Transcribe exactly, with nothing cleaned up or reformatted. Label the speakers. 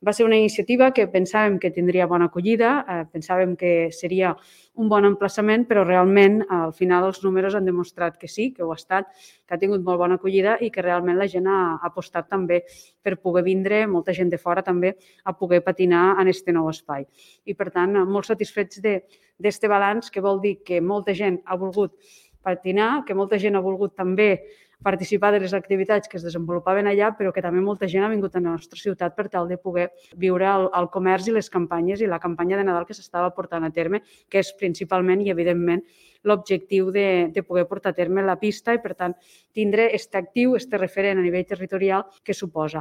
Speaker 1: Va ser una iniciativa que pensàvem que tindria bona acollida, eh, pensàvem que seria un bon emplaçament, però realment al final els números han demostrat que sí, que ho ha estat, que ha tingut molt bona acollida i que realment la gent ha apostat també per poder vindre, molta gent de fora també, a poder patinar en aquest nou espai. I per tant, molt satisfets d'aquest balanç, que vol dir que molta gent ha volgut patinar, que molta gent ha volgut també participar de les activitats que es desenvolupaven allà, però que també molta gent ha vingut a la nostra ciutat per tal de poder viure el, el comerç i les campanyes i la campanya de Nadal que s'estava portant a terme, que és principalment i evidentment l'objectiu de, de poder portar a terme la pista i, per tant, tindre aquest actiu, aquest referent a nivell territorial que suposa.